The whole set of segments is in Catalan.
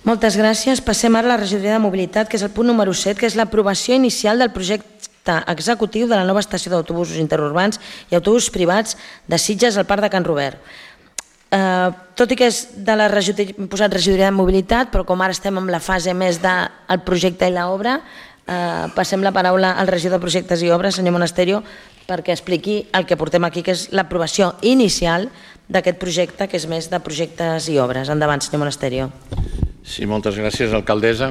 Moltes gràcies. Passem ara a la regidoria de mobilitat, que és el punt número 7, que és l'aprovació inicial del projecte executiu de la nova estació d'autobusos interurbans i autobusos privats de Sitges al Parc de Can Robert. Tot i que és de la regidoria, hem posat regidoria de mobilitat, però com ara estem en la fase més del projecte i l'obra, passem la paraula al regidor de projectes i obres, senyor Monasterio, perquè expliqui el que portem aquí, que és l'aprovació inicial d'aquest projecte, que és més de projectes i obres. Endavant, senyor Monasterio. Sí, moltes gràcies, alcaldessa.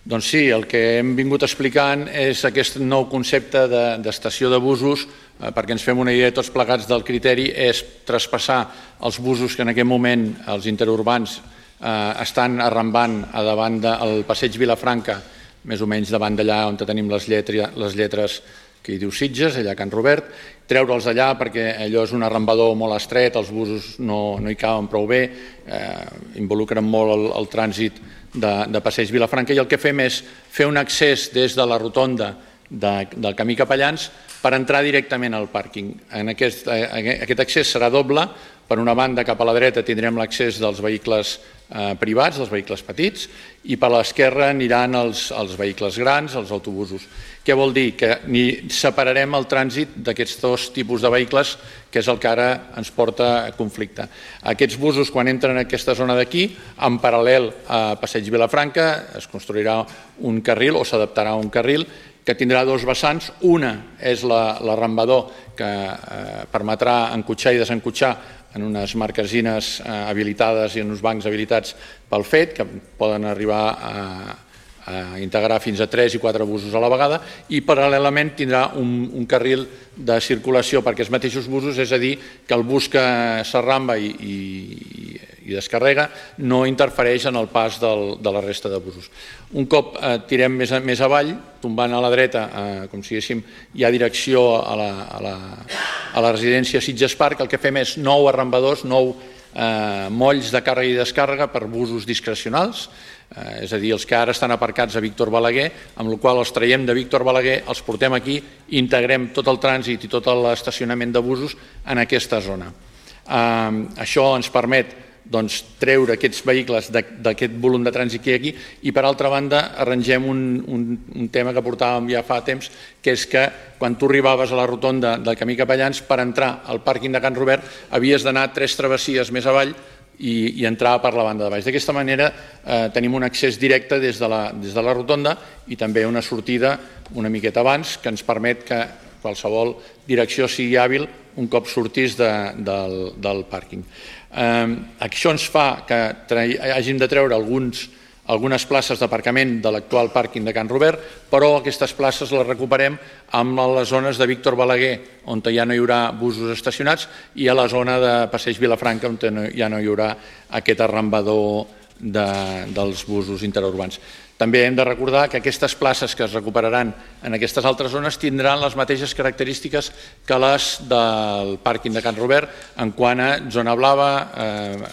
Doncs sí, el que hem vingut explicant és aquest nou concepte d'estació de busos, perquè ens fem una idea tots plegats del criteri, és traspassar els busos que en aquest moment els interurbans estan arrambant a davant del passeig Vilafranca, més o menys davant d'allà on tenim les lletres que hi diu Sitges, allà a Can Robert, treure'ls allà perquè allò és un arrambador molt estret, els busos no hi caben prou bé, involucren molt el trànsit de passeig Vilafranca, i el que fem és fer un accés des de la rotonda del camí Capellans per entrar directament al pàrquing. Aquest accés serà doble. Per una banda, cap a la dreta, tindrem l'accés dels vehicles privats, dels vehicles petits, i per l'esquerra aniran els vehicles grans, els autobusos. Què vol dir? Que separarem el trànsit d'aquests dos tipus de vehicles, que és el que ara ens porta a conflicte. Aquests busos, quan entren en aquesta zona d'aquí, en paral·lel a Passeig Vilafranca, es construirà un carril o s'adaptarà a un carril que tindrà dos vessants. Una és l'arrambador que permetrà encotxar i desencotxar en unes marquesines habilitades i en uns bancs habilitats pel FET, que poden arribar a integrar fins a 3 i 4 busos a la vegada, i paral·lelament tindrà un carril de circulació per aquests mateixos busos, és a dir, que el bus que s'arramba i descarrega no interfereix en el pas de la resta de busos. Un cop tirem més avall, tombant a la dreta, com si diguéssim, hi ha direcció a la residència Sitges Park, el que fem és 9 arrambadors, 9 molls de càrrega i descàrrega per busos discrecionals, és a dir, els que ara estan aparcats a Víctor Balaguer, amb la qual cosa els traiem de Víctor Balaguer, els portem aquí i integrem tot el trànsit i tot l'estacionament de busos en aquesta zona. Això ens permet treure aquests vehicles d'aquest volum de trànsit que hi ha aquí, i per altra banda arrangem un tema que portàvem ja fa temps, que és que quan tu arribaves a la rotonda del camí Capellans, per entrar al pàrquing de Can Robert havies d'anar 3 travessies més avall i entrar per la banda de baix. D'aquesta manera tenim un accés directe des de la rotonda i també una sortida una miqueta abans, que ens permet que qualsevol direcció sigui hàbil un cop sortís del pàrquing. Això ens fa que hàgim de treure algunes places d'aparcament de l'actual pàrquing de Can Robert, però aquestes places les recuperem amb les zones de Víctor Balaguer, on ja no hi haurà busos estacionats, i a la zona de Passeig Vilafranca, on ja no hi haurà aquest arrambador dels busos interurbans. També hem de recordar que aquestes places que es recuperaran en aquestes altres zones tindran les mateixes característiques que les del pàrquing de Can Robert en quant a zona blava,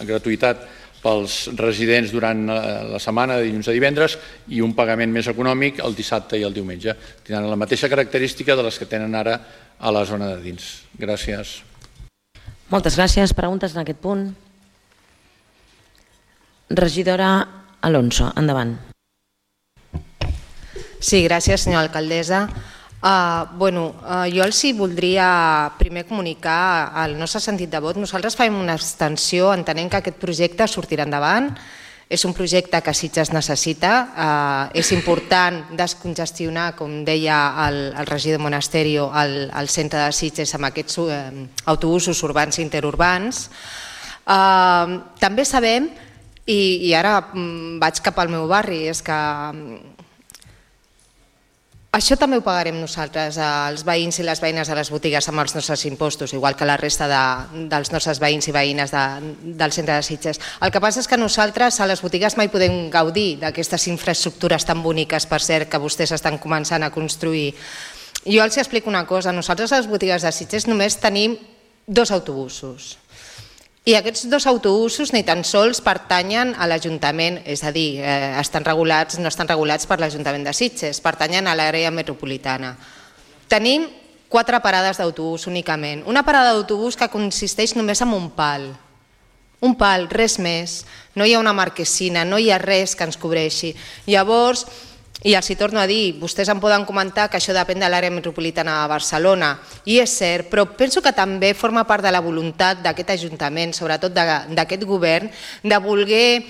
gratuïtat pels residents durant la setmana de dilluns a divendres i un pagament més econòmic el dissabte i el diumenge. Tindran la mateixa característica de les que tenen ara a la zona de dins. Gràcies. Moltes gràcies. Preguntes en aquest punt? Regidora Alonso, endavant. Sí, gràcies, senyora alcaldessa. Jo els voldria primer comunicar el nostre sentit de vot. Nosaltres farem una abstenció, entenem que aquest projecte sortirà endavant. És un projecte que Sitges necessita. És important descongestionar, com deia el regidor Monasterio, el centre de Sitges amb aquests autobusos urbans i interurbans. També sabem, i ara vaig cap al meu barri, és que això també ho pagarem nosaltres, els veïns i les veïnes de les botigues, amb els nostres impostos, igual que la resta dels nostres veïns i veïnes del centre de Sitges. El que passa és que nosaltres a les botigues mai podem gaudir d'aquestes infraestructures tan boniques, per cert, que vostès estan començant a construir. Jo els explico una cosa, nosaltres a les botigues de Sitges només tenim 2 autobusos. I aquests 2 autobusos ni tan sols pertanyen a l'Ajuntament, és a dir, no estan regulats per l'Ajuntament de Sitges, pertanyen a l'àrea metropolitana. Tenim 4 parades d'autobús únicament. Una parada d'autobús que consisteix només en un pal. un pal, res més. No hi ha una marquesina, no hi ha res que ens cobreixi. Llavors, i els hi torno a dir, vostès em poden comentar que això depèn de l'àrea metropolitana de Barcelona, i és cert, però penso que també forma part de la voluntat d'aquest Ajuntament, sobretot d'aquest govern, de voler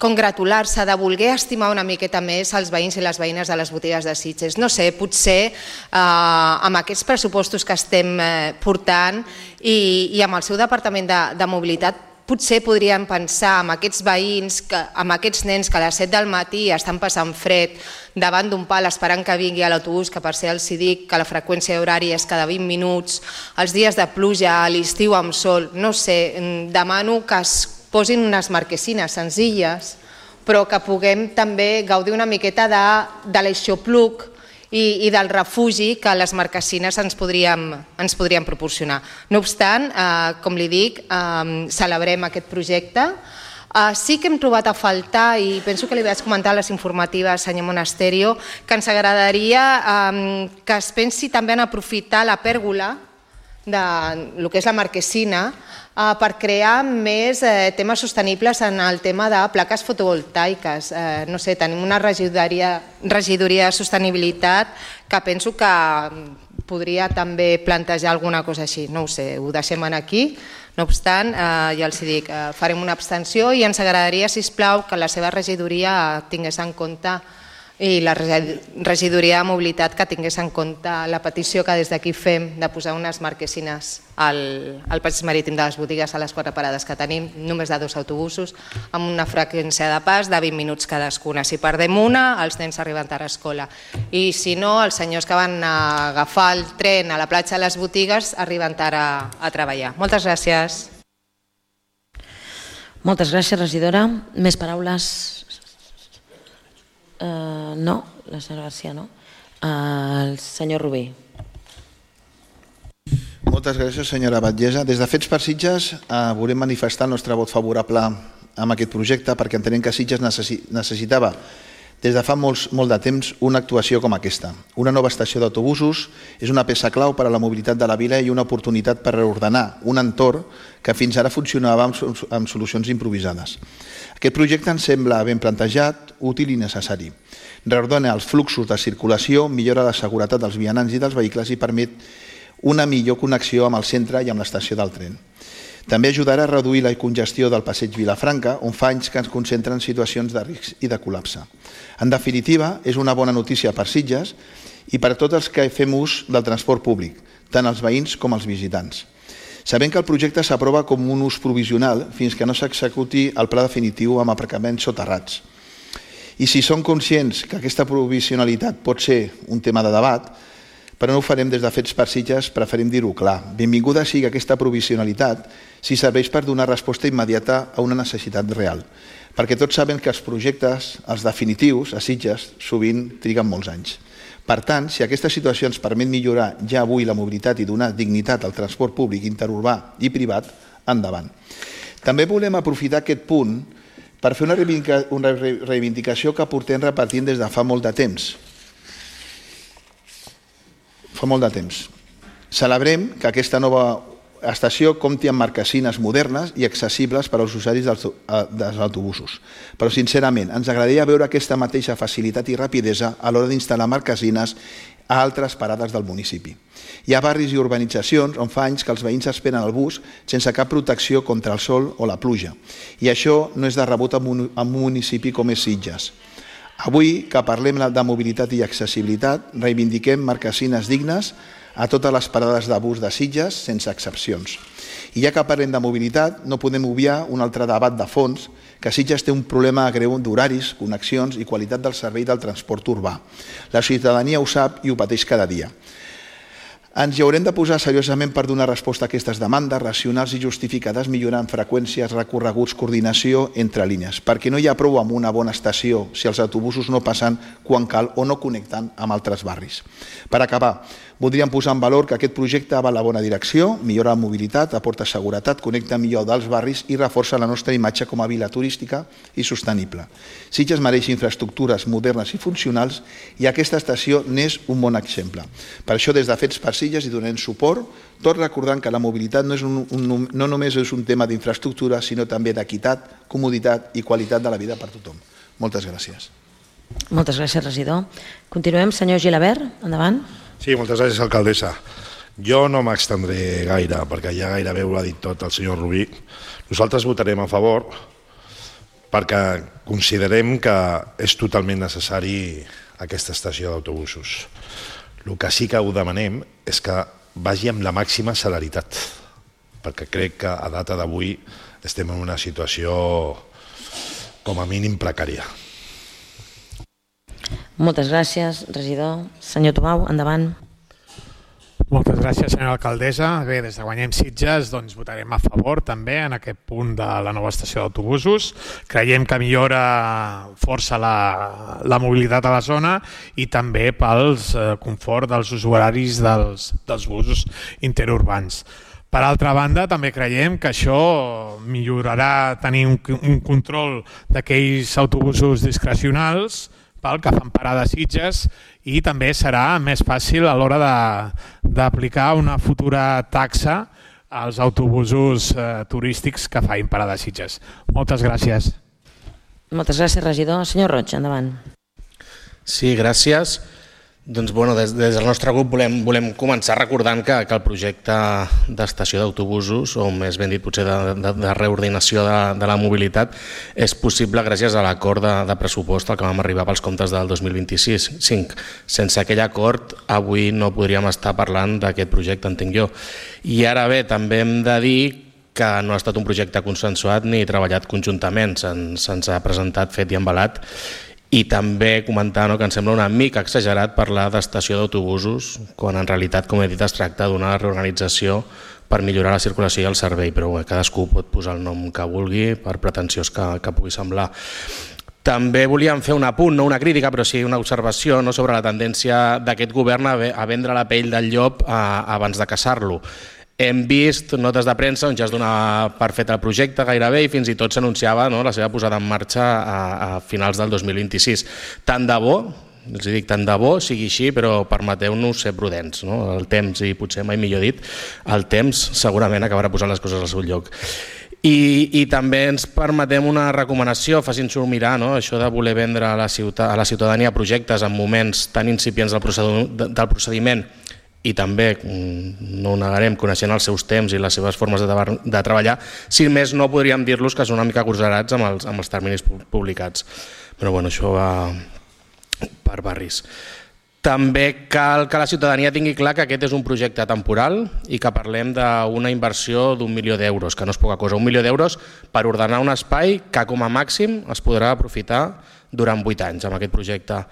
congratular-se, de voler estimar una miqueta més els veïns i les veïnes de les botigues de Sitges. No sé, potser amb aquests pressupostos que estem portant i amb el seu Departament de Mobilitat, potser podríem pensar en aquests veïns, en aquests nens que a les 7 del matí estan passant fred davant d'un pal esperant que vingui a l'autobús, que per ser els dic que la freqüència horària és cada 20 minuts, els dies de pluja, a l'estiu amb sol, no sé, demano que es posin unes marquesines senzilles, però que puguem també gaudir una miqueta de l'aixopluc i del refugi que les marquesines ens podrien proporcionar. No obstant, com li dic, celebrem aquest projecte. Sí que hem trobat a faltar, i penso que li vaig comentar a les informatives, senyor Monasterio, que ens agradaria que es pensi també en aprofitar la pèrgola del que és la marquesina per crear més temes sostenibles en el tema de plaques fotovoltaiques. No sé, tenim una regidoria de sostenibilitat que penso que podria també plantejar alguna cosa així. No ho sé, ho deixem aquí. No obstant, ja els dic, farem una abstenció i ens agradaria, sisplau, que la seva regidoria tingués en compte i la regidoria de mobilitat que tingués en compte la petició que des d'aquí fem de posar unes marquesines al passeig marítim de les botigues a les 4 parades que tenim, només de 2 autobusos, amb una freqüència de pas de 20 minuts cadascuna. Si perdem una, els nens arriben tard a escola. I si no, els senyors que van agafar el tren a la platja de les botigues arriben tard a treballar. Moltes gràcies. Moltes gràcies, regidora. Més paraules? No, la senyora García no. El senyor Rubí. Moltes gràcies, senyora Batllessa. Des de Fets per Sitges volem manifestar el nostre vot favorable a aquest projecte perquè entenem que Sitges necessitava des de fa molt de temps una actuació com aquesta. Una nova estació d'autobusos és una peça clau per a la mobilitat de la vila i una oportunitat per reordenar un entorn que fins ara funcionava amb solucions improvisades. Aquest projecte ens sembla ben plantejat, útil i necessari. Reordena els fluxos de circulació, millora la seguretat dels vianants i dels vehicles i permet una millor connexió amb el centre i amb l'estació del tren. També ajudarà a reduir la congestió del passeig Vilafranca, on fa anys que ens concentren situacions de risc i de col·lapse. En definitiva, és una bona notícia per Sitges i per a tots els que fem ús del transport públic, tant els veïns com els visitants. Sabem que el projecte s'aprova com un ús provisional fins que no s'executi el pla definitiu amb aparcaments soterrats. I si som conscients que aquesta provisionalitat pot ser un tema de debat, però no ho farem des de Fets per Sitges, preferim dir-ho clar. Benvinguda sigui aquesta provisionalitat si serveix per donar resposta immediata a una necessitat real, perquè tots saben que els projectes, els definitius, a Sitges, sovint triguen molts anys. Per tant, si aquesta situació ens permet millorar ja avui la mobilitat i donar dignitat al transport públic interurbà i privat, endavant. També volem aprofitar aquest punt per fer una reivindicació que portem repartint des de fa molt de temps. Celebrem que aquesta nova estació compti amb marquesines modernes i accessibles per als usuaris dels autobusos. Però, sincerament, ens agradaria veure aquesta mateixa facilitat i rapidesa a l'hora d'instal·lar marquesines a altres parades del municipi. Hi ha barris i urbanitzacions on fa anys que els veïns esperen el bus sense cap protecció contra el sol o la pluja. I això no és de rebut en un municipi com és Sitges. Avui, que parlem de mobilitat i accessibilitat, reivindiquem marquesines dignes a totes les parades de bus de Sitges, sense excepcions. I ja que parlem de mobilitat, no podem obviar un altre debat de fons, que Sitges té un problema greu d'horaris, connexions i qualitat del servei del transport urbà. La ciutadania ho sap i ho pateix cada dia. Ens hi haurem de posar seriosament per donar resposta a aquestes demandes racionals i justificades, millorant freqüències, recorreguts, coordinació entre línies, perquè no hi ha prou amb una bona estació si els autobusos no passen quan cal o no connecten amb altres barris. Per acabar, Voldríem posar en valor que aquest projecte va en la bona direcció, millora la mobilitat, aporta seguretat, connecta millor dels barris i reforça la nostra imatge com a vila turística i sostenible. Sitges mereix infraestructures modernes i funcionals i aquesta estació n'és un bon exemple. Per això, des de Fets per Sitges hi donem suport, tot recordant que la mobilitat no només és un tema d'infraestructura, sinó també d'equitat, comoditat i qualitat de la vida per tothom. Moltes gràcies. Moltes gràcies, regidor. Continuem. Senyor Gilabert, endavant. Sí, moltes gràcies, alcaldessa. Jo no m'extendré gaire, perquè ja gairebé ho ha dit tot el senyor Rubí. Nosaltres votarem a favor perquè considerem que és totalment necessari aquesta estació d'autobusos. El que sí que ho demanem és que vagi amb la màxima celeritat, perquè crec que a data d'avui estem en una situació com a mínim precària. Moltes gràcies, regidor. Senyor Tomau, endavant. Moltes gràcies, senyora alcaldessa. Bé, des de Guanyem Sitges votarem a favor també en aquest punt de la nova estació d'autobusos. Creiem que millora força la mobilitat a la zona i també pel confort dels usuaris dels busos interurbans. Per altra banda, també creiem que això millorarà tenir un control d'aquells autobusos discrecionals que fan parada a Sitges i també serà més fàcil a l'hora d'aplicar una futura taxa als autobusos turístics que facin parada a Sitges. Moltes gràcies. Moltes gràcies, regidor. Senyor Roig, endavant. Sí, gràcies. Doncs, des del nostre grup volem començar recordant que el projecte d'estació d'autobusos, o més ben dit potser de reordinació de la mobilitat, és possible gràcies a l'acord de pressupost al que vam arribar pels comptes del 2025. Sense aquell acord, avui no podríem estar parlant d'aquest projecte, entenc jo. I ara bé, també hem de dir que no ha estat un projecte consensuat ni treballat conjuntament, se'ns ha presentat fet i embalat. I també comentar que ens sembla una mica exagerat parlar d'estació d'autobusos quan en realitat, com he dit, es tracta d'una reorganització per millorar la circulació i el servei, però cadascú pot posar el nom que vulgui per pretensiós que pugui semblar. També volíem fer un apunt, no una crítica, però sí una observació sobre la tendència d'aquest govern a vendre la pell del llop abans de caçar-lo. Hem vist notes de premsa on ja es donava per fet el projecte gairebé i fins i tot s'anunciava la seva posada en marxa a finals del 2026. Tant de bo, els dic tant de bo, sigui així, però permeteu-nos ser prudents. El temps, i potser mai millor dit, el temps segurament acabarà posant les coses al seu lloc. I també ens permetem una recomanació, facin-s'ho mirar, això de voler vendre a la ciutadania projectes en moments tan incipients del procediment i també, no ho negarem, coneixent els seus temps i les seves formes de treballar, si més no podríem dir-los que són una mica agosarats amb els terminis publicats. Però bueno, això va per barris. També cal que la ciutadania tingui clar que aquest és un projecte temporal i que parlem d'una inversió d'1 milió d'euros, que no és poca cosa. 1 milió d'euros per ordenar un espai que com a màxim es podrà aprofitar durant 8 anys amb aquest projecte.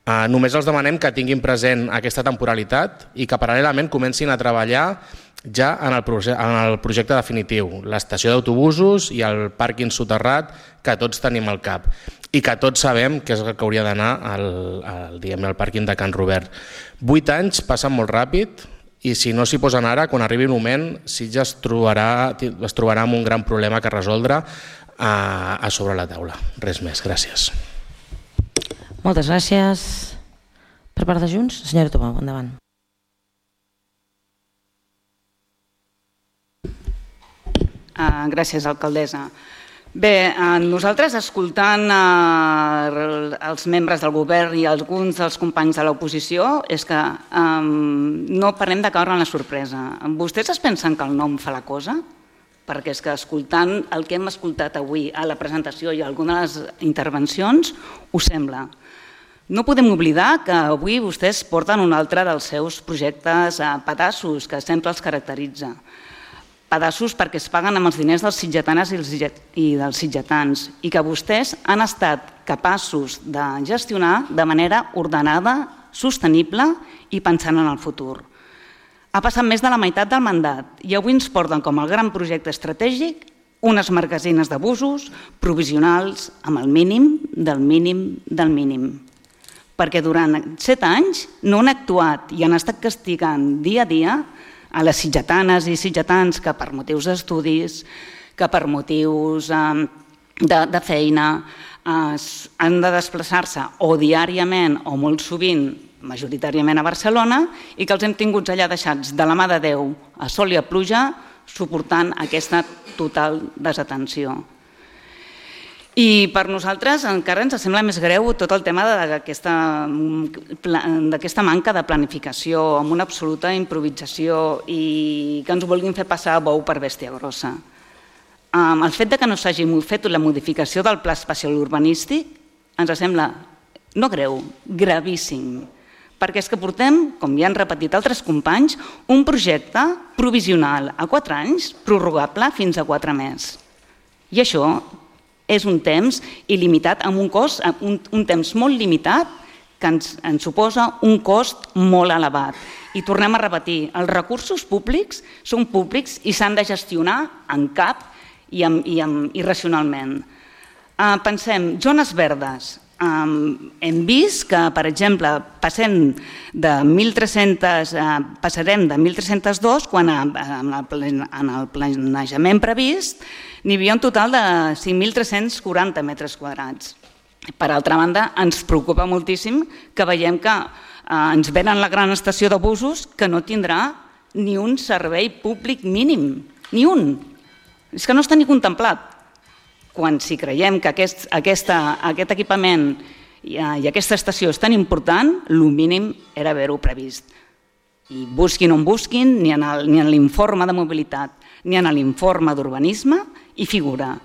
Només els demanem que tinguin present aquesta temporalitat i que paral·lelament comencin a treballar ja en el projecte definitiu, l'estació d'autobusos i el pàrquing soterrat que tots tenim al cap i que tots sabem que és el que hauria d'anar al pàrquing de Can Robert. 8 anys passen molt ràpid i si no s'hi posen ara, quan arribi un moment, Sitges es trobarà amb un gran problema que resoldre a sobre la taula. Res més, gràcies. Moltes gràcies. Per part de Junts, senyora Tomau, endavant. Gràcies, alcaldessa. Bé, nosaltres escoltant els membres del govern i alguns dels companys de l'oposició és que no parlem de caure en la sorpresa. Vostès es pensen que el nom fa la cosa? Perquè és que escoltant el que hem escoltat avui a la presentació i a algunes intervencions, ho sembla. No podem oblidar que avui vostès porten un altre dels seus projectes pedaços que sempre els caracteritza. Pedaços perquè es paguen amb els diners dels sitgetanes i dels sitgetans i que vostès han estat capaços de gestionar de manera ordenada, sostenible i pensant en el futur. Ha passat més de la meitat del mandat i avui ens porten com el gran projecte estratègic unes marquesines d'abusos provisionals amb el mínim del mínim del mínim. perquè durant 7 anys no han actuat i han estat castigant dia a dia a les sitgetanes i sitgetans que per motius d'estudis, que per motius de feina han de desplaçar-se o diàriament o molt sovint, majoritàriament a Barcelona, i que els hem tinguts allà deixats de la mà de Déu a sol i a pluja, suportant aquesta total desatenció. I per nosaltres encara ens sembla més greu tot el tema d'aquesta manca de planificació, amb una absoluta improvisació i que ens vulguin fer passar bou per bèstia grossa. El fet que no s'hagi fet la modificació del pla espacial urbanístic ens sembla no greu, gravíssim, perquè és que portem, com ja han repetit altres companys, un projecte provisional a 4 anys, prorrogable fins a 4 més. I això és un temps il·limitat, amb un cost, un temps molt limitat, que ens suposa un cost molt elevat. I tornem a repetir, els recursos públics són públics i s'han de gestionar en cap i racionalment. Pensem, zones verdes. Hem vist que, per exemple, passarem de 1.302 quan en el planejament previst n'hi havia un total de 5.340 metres quadrats. Per altra banda, ens preocupa moltíssim que veiem que ens venen la gran estació de busos que no tindrà ni un servei públic mínim, ni un. És que no està ni contemplat. Quan si creiem que aquest equipament i aquesta estació és tan important, el mínim era haver-ho previst. I busquin on busquin, ni en l'informe de mobilitat, ni en l'informe d'urbanisme, hi figura.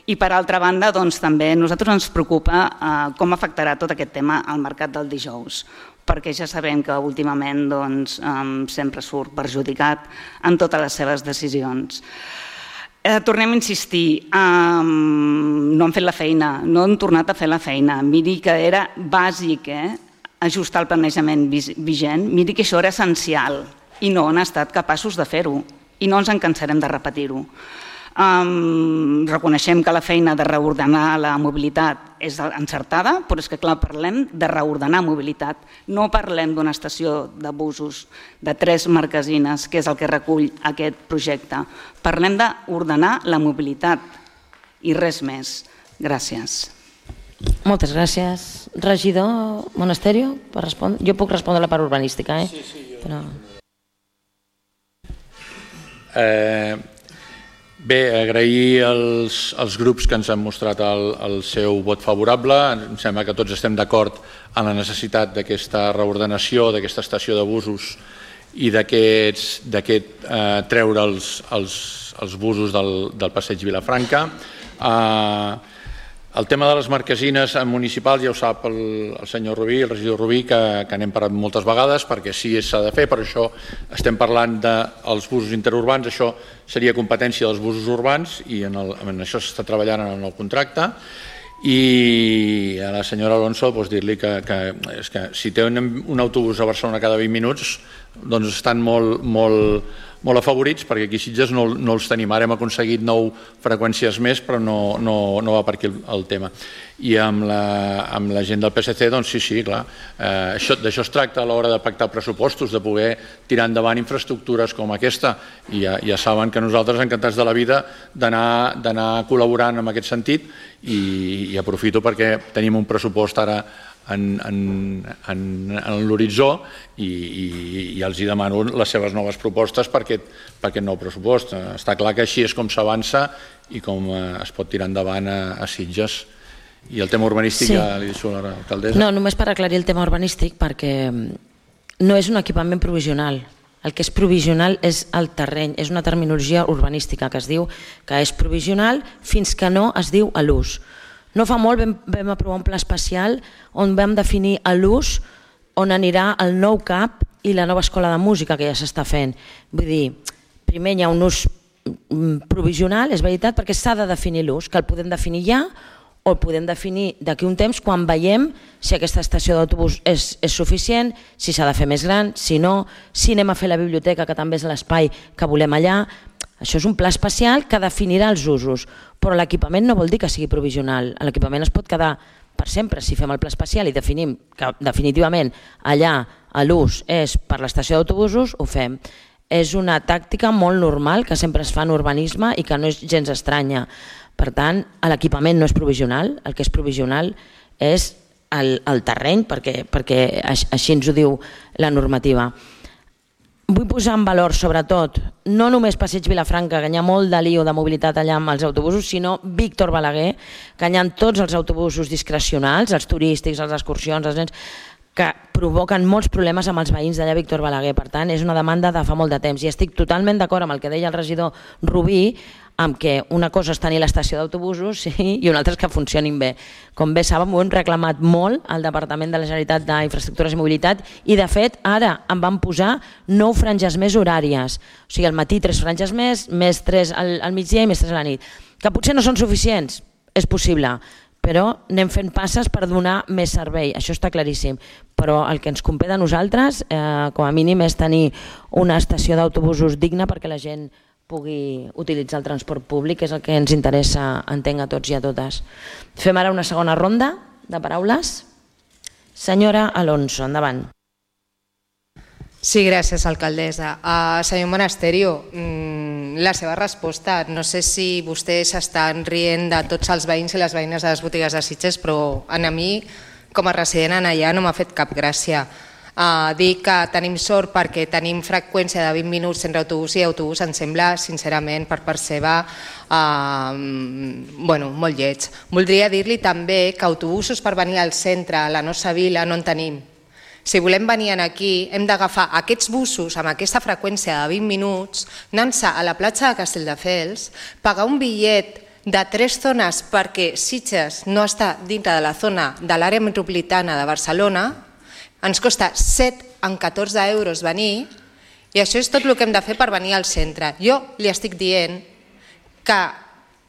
I per altra banda, també a nosaltres ens preocupa com afectarà tot aquest tema al mercat del dijous, perquè ja sabem que últimament sempre surt perjudicat en totes les seves decisions. Tornem a insistir, no han fet la feina, no han tornat a fer la feina. Miri que era bàsic ajustar el planejament vigent, miri que això era essencial i no han estat capaços de fer-ho i no ens en cansarem de repetir-ho. Reconeixem que la feina de reordenar la mobilitat és encertada, però és que clar, parlem de reordenar mobilitat, no parlem d'una estació de busos de 3 marquesines, que és el que recull aquest projecte. Parlem d'ordenar la mobilitat i res més. Gràcies. Moltes gràcies. Regidor Monasterio, per respondre? Jo puc respondre la part urbanística, eh? Sí, jo. Bé, agrair als grups que ens han mostrat el seu vot favorable. Em sembla que tots estem d'acord en la necessitat d'aquesta reordenació, d'aquesta estació de busos i d'aquest treure els busos del passeig Vilafranca. El tema de les marquesines municipals ja ho sap el senyor Rubí, el regidor Rubí, que n'hem parlat moltes vegades perquè sí s'ha de fer, per això estem parlant dels busos interurbans, això seria competència dels busos urbans i en això s'està treballant en el nou contracte. I a la senyora Alonso dir-li que si tenen un autobús a Barcelona cada 20 minuts doncs estan molt afavorits, perquè aquí a Sitges no els tenim. Ara hem aconseguit 9 freqüències més, però no va per aquí el tema. I amb la gent del PSC, doncs sí, clar, d'això es tracta a l'hora de pactar pressupostos, de poder tirar endavant infraestructures com aquesta. I ja saben que nosaltres encantats de la vida d'anar col·laborant en aquest sentit i aprofito perquè tenim un pressupost ara en l'horitzó i els demano les seves noves propostes per aquest nou pressupost. Està clar que així és com s'avança i com es pot tirar endavant a Sitges. I el tema urbanístic ja li deixo a l'alcaldessa. No, només per aclarir el tema urbanístic, perquè no és un equipament provisional. El que és provisional és el terreny, és una terminologia urbanística que es diu que és provisional fins que no es diu a l'ús. No fa molt vam aprovar un pla especial on vam definir l'ús on anirà el nou CAP i la nova escola de música que ja s'està fent. Vull dir, primer hi ha un ús provisional, és veritat, perquè s'ha de definir l'ús, que el podem definir ja o el podem definir d'aquí un temps quan veiem si aquesta estació d'autobús és suficient, si s'ha de fer més gran, si no, si anem a fer la biblioteca, que també és l'espai que volem allà. Això és un pla especial que definirà els usos, però l'equipament no vol dir que sigui provisional. L'equipament es pot quedar per per sempre. Si fem el pla especial i definim que definitivament allà l'ús és per l'estació d'autobusos, ho fem. És una tàctica molt normal que sempre es fa en urbanisme i que no és gens estranya. Per tant, l'equipament no és provisional, el que és provisional és el terreny, perquè així ens ho diu la normativa. Vull posar en valor, sobretot, no només Passeig Vilafranca, que hi ha molt de lío de mobilitat allà amb els autobusos, sinó Víctor Balaguer, que hi ha tots els autobusos discrecionals, els turístics, les excursions, els nens, que provoquen molts problemes amb els veïns d'allà Víctor Balaguer. Per tant, és una demanda de fa molt de temps i estic totalment d'acord amb el que deia el regidor Rubí, amb que una cosa és tenir l'estació d'autobusos i una altra és que funcionin bé. Com bé saben, ho hem reclamat molt al Departament de la Generalitat d'Infraestructures i Mobilitat i, de fet, ara en van posar 9 franges més horàries. O sigui, al matí 3 franges més 3 al migdia i més 3 a la nit. Que potser no són suficients, és possible, però anem fent passes per donar més servei, això està claríssim. Però el que ens compete a nosaltres, com a mínim, és tenir una estació d'autobusos digna perquè la gent pugui utilitzar el transport públic, que és el que ens interessa, entenc, a tots i a totes. Fem ara una segona ronda de paraules. Senyora Alonso, endavant. Sí, gràcies, alcaldessa. Senyor Monasterio, la seva resposta, no sé si vostès estan rient de tots els veïns i les veïnes de les botigues de Sitges, però a mi, com a resident allà, no m'ha fet cap gràcia. Dir que tenim sort perquè tenim freqüència de 20 minuts entre autobús i autobús em sembla, sincerament, per part seva, molt lleig. Voldria dir-li també que autobusos per venir al centre, a la nostra vila, no en tenim. Si volem venir aquí, hem d'agafar aquests busos amb aquesta freqüència de 20 minuts, anar-se a la platja de Castelldefels, pagar un bitllet de 3 zones perquè Sitges no està dintre de la zona de l'àrea metropolitana de Barcelona, ens costa 7 amb 14 euros venir i això és tot el que hem de fer per venir al centre. Jo li estic dient que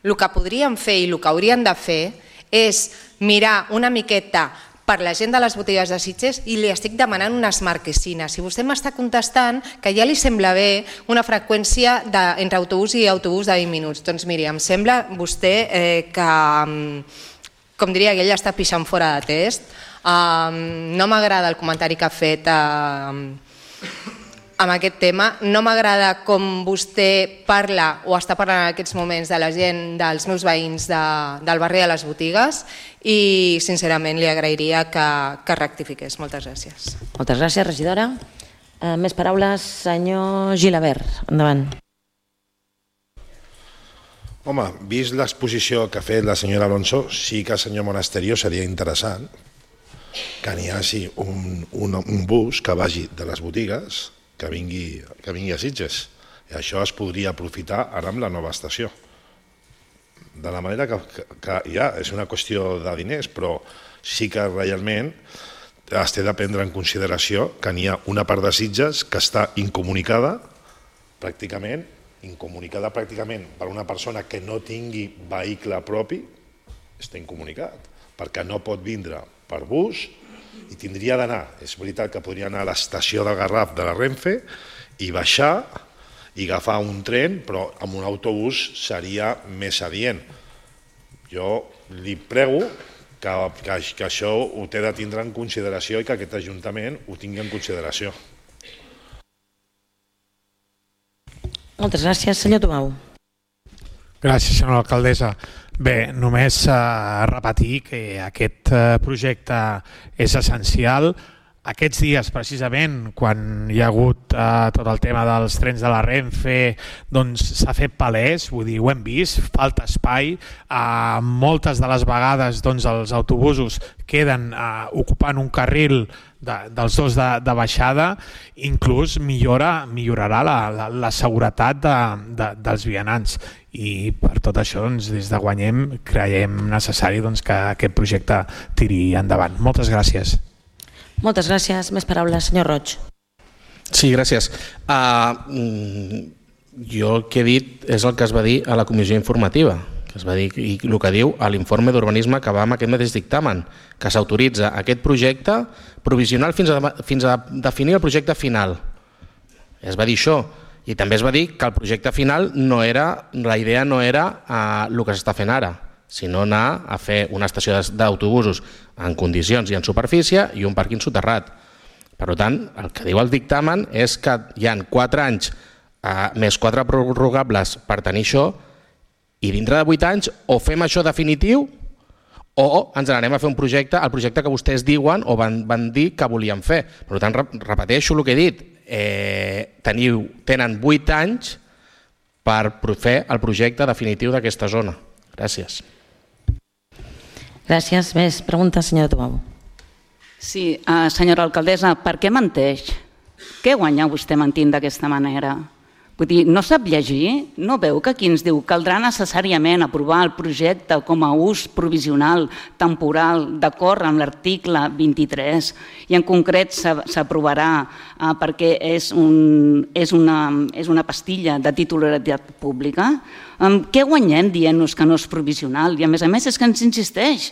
el que podríem fer i el que haurien de fer és mirar una miqueta per la gent de les botigues de Sitges i li estic demanant unes marquesines. I vostè m'està contestant que ja li sembla bé una freqüència entre autobús i autobús de 20 minuts. Doncs miri, em sembla vostè que, com diria que ell està pixant fora de test. No m'agrada el comentari que ha fet amb aquest tema, no m'agrada com vostè parla o està parlant en aquests moments de la gent, dels meus veïns del barri de les botigues i sincerament li agrairia que rectifiqués. Moltes gràcies. Moltes gràcies, regidora. Més paraules, senyor Gilabert. Endavant. Home, vist l'exposició que ha fet la senyora Alonso, sí que, senyor Monasterio, seria interessant que n'hi hagi un bus que vagi de les botigues que vingui a Sitges. I això es podria aprofitar ara amb la nova estació. De la manera que ja és una qüestió de diners, però sí que realment es té de prendre en consideració que n'hi ha una part de Sitges que està incomunicada pràcticament per una persona que no tingui vehicle propi, està incomunicat, perquè no pot vindre per bus i tindria d'anar, és veritat que podria anar a l'estació del Garraf de la Renfe i baixar i agafar un tren, però amb un autobús seria més adient. Jo li prego que això ho té de tindre en consideració i que aquest Ajuntament ho tingui en consideració. Moltes gràcies. Senyor Tomau. Gràcies, senyora alcaldessa. Bé, només repetir que aquest projecte és essencial. Aquests dies, precisament, quan hi ha hagut tot el tema dels trens de la Renfe, doncs s'ha fet palès, vull dir, ho hem vist, falta espai. Moltes de les vegades els autobusos queden ocupant un carril dels dos de baixada, inclús millorarà la seguretat dels vianants. I per tot això, des de Guanyem, creiem necessari que aquest projecte tiri endavant. Moltes gràcies. Moltes gràcies. Més paraules, senyor Roig. Sí, gràcies. Jo el que he dit és el que es va dir a la comissió informativa, que es va dir, i el que diu a l'informe d'urbanisme que va amb aquest mateix dictamen, que s'autoritza aquest projecte provisional fins a definir el projecte final. Es va dir això. I també es va dir que el projecte final la idea no era el que s'està fent ara, sinó anar a fer una estació d'autobusos en condicions i en superfície i un pàrquing soterrat. Per tant, el que diu el dictamen és que hi ha 4 anys més 4 prorrogables per tenir això, i dintre de 8 anys o fem això definitiu o ens n'anem a fer un projecte, el projecte que vostès diuen o van dir que volien fer. Per tant, repeteixo el que he dit, tenen 8 anys per fer el projecte definitiu d'aquesta zona. Gràcies. Gràcies. Més preguntes, senyora Tubau. Sí, senyora alcaldessa, per què menteix? Què guanya vostè mentint d'aquesta manera? Vull dir, no sap llegir? No veu que aquí ens diu que caldrà necessàriament aprovar el projecte com a ús provisional, temporal, d'acord amb l'article 23, i en concret s'aprovarà perquè és una pastilla de titularitat pública? Què guanyem dient-nos que no és provisional? I a més és que ens insisteix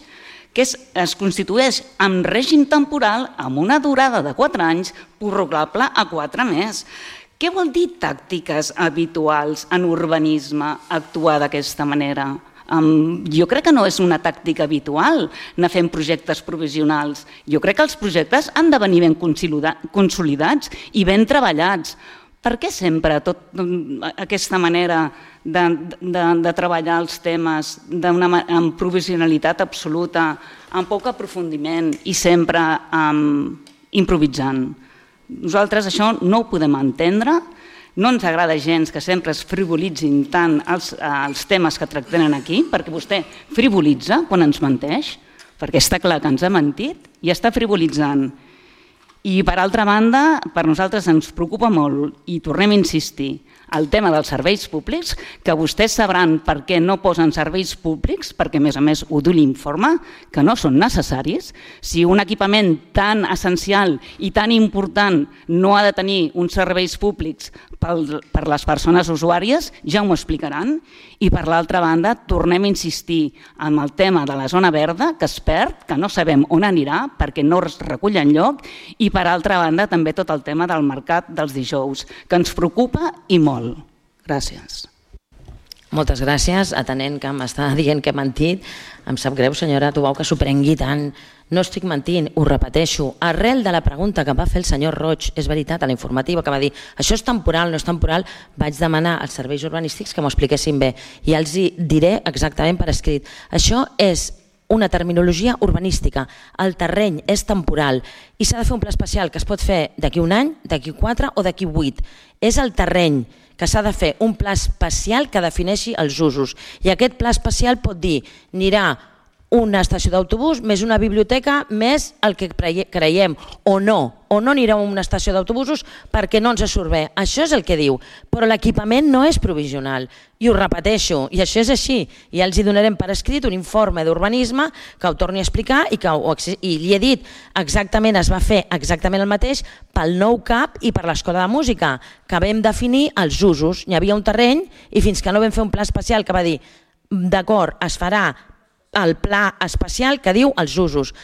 que es constitueix en règim temporal amb una durada de 4 anys, prorrogable a 4 més. Què vol dir tàctiques habituals en urbanisme actuar d'aquesta manera? Jo crec que no és una tàctica habitual anar fent projectes provisionals. Jo crec que els projectes han de venir ben consolidats i ben treballats. Per què sempre aquesta manera de treballar els temes amb provisionalitat absoluta, amb poc aprofundiment i sempre improvisant? Nosaltres això no ho podem entendre, no ens agrada gens que sempre es frivolitzin tant els temes que tractem aquí, perquè vostè frivolitza quan ens menteix, perquè està clar que ens ha mentit i està frivolitzant. I per altra banda, per nosaltres ens preocupa molt, i tornem a insistir, el tema dels serveis públics, que vostès sabran per què no posen serveis públics, perquè a més ho diu l'informe, que no són necessaris. Si un equipament tan essencial i tan important no ha de tenir uns serveis públics per les persones usuàries, ja m'ho explicaran. I per l'altra banda, tornem a insistir en el tema de la zona verda, que es perd, que no sabem on anirà perquè no es recull enlloc, i per altra banda també tot el tema del mercat dels dijous, que ens preocupa i molt. Gràcies. Moltes gràcies. Atenent que m'està dient que he mentit, em sap greu, senyora Tubau, que s'ho prengui tant. No estic mentint, ho repeteixo. Arrel de la pregunta que va fer el senyor Roig, és veritat, a la informativa, que va dir això és temporal, no és temporal, vaig demanar als serveis urbanístics que m'ho expliquessin bé i els hi diré exactament per escrit. Això és una terminologia urbanística. El terreny és temporal i s'ha de fer un pla especial que es pot fer d'aquí 1 any, d'aquí 4 o d'aquí 8. És el terreny que s'ha de fer un pla especial que defineixi els usos. I aquest pla especial pot dir, anirà una estació d'autobús més una biblioteca més el que creiem, o no anirà a una estació d'autobusos perquè no ens surt bé. Això és el que diu, però l'equipament no és provisional. I ho repeteixo, i això és així. I ja els hi donarem per escrit un informe d'urbanisme que ho torni a explicar i li he dit exactament, es va fer exactament el mateix pel nou CAP i per l'Escola de Música, que vam definir els usos. Hi havia un terreny i fins que no vam fer un pla especial que va dir d'acord, es farà el pla especial que diu els usos.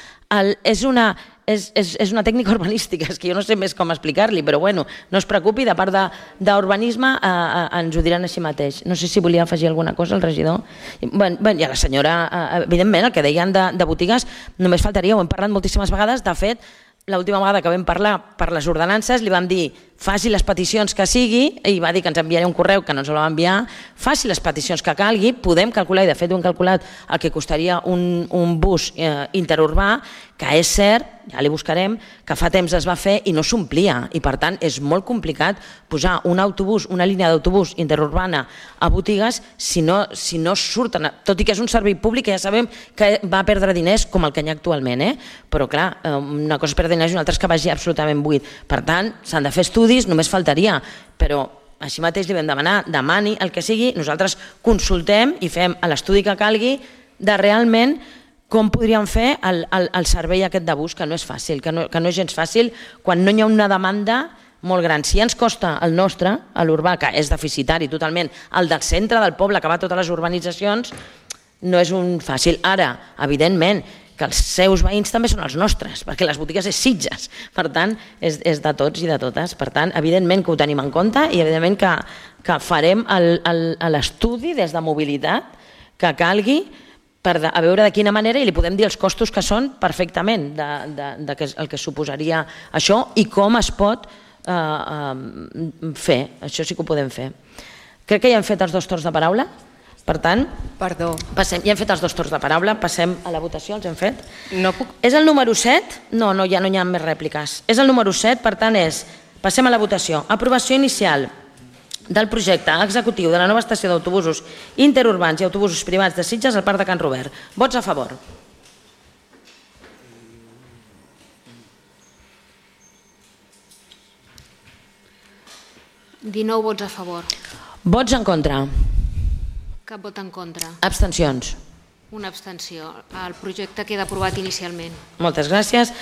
És una tècnica urbanística, és que jo no sé més com explicar-li, però bueno, no es preocupi, de part d'urbanisme ens ho diran així mateix. No sé si volia afegir alguna cosa el regidor. I a la senyora, evidentment, el que deien de botigues, només faltaria, ho hem parlat moltíssimes vegades, de fet, l'última vegada que vam parlar per les ordenances li vam dir faci les peticions que sigui, i va dir que ens enviaria un correu que no ens el va enviar, faci les peticions que calgui, podem calcular, i de fet ho hem calculat el que costaria un bus interurbà, que és cert, ja li buscarem, que fa temps es va fer i no s'omplia, i per tant és molt complicat posar un autobús, una línia d'autobús interurbana a botigues si no surten, tot i que és un servei públic que ja sabem que va perdre diners com el que hi ha actualment, però clar, una cosa és perdre diners i una altra és que vagi absolutament buit. Per tant, s'han de fer estudis, només faltaria, però així mateix li vam demanar, demani el que sigui, nosaltres consultem i fem l'estudi que calgui de realment com podríem fer el servei aquest de bus, que no és fàcil, que no és gens fàcil quan no hi ha una demanda molt gran. Si ja ens costa el nostre, l'urbà, que és deficitari totalment, el del centre del poble, que va a totes les urbanitzacions, no és un fàcil. Ara, evidentment, que els seus veïns també són els nostres, perquè les botigues és Sitges, per tant, és de tots i de totes. Per tant, evidentment que ho tenim en compte i evidentment que farem l'estudi des de mobilitat que calgui a veure de quina manera, i li podem dir els costos que són perfectament de el que suposaria això i com es pot fer. Això sí que ho podem fer. Crec que ja hem fet els 2 torns de paraula. Per tant, ja hem fet els 2 torns de paraula, passem a la votació, els hem fet. És el número 7? No, ja no hi ha més rèpliques. És el número 7, per tant passem a la votació. Aprovació inicial del projecte executiu de la nova estació d'autobusos interurbans i autobusos privats de Sitges al Parc de Can Robert. Vots a favor. ...19 vots a favor. Vots en contra. Cap vot en contra. Abstencions. Una abstenció. El projecte queda aprovat inicialment. Moltes gràcies.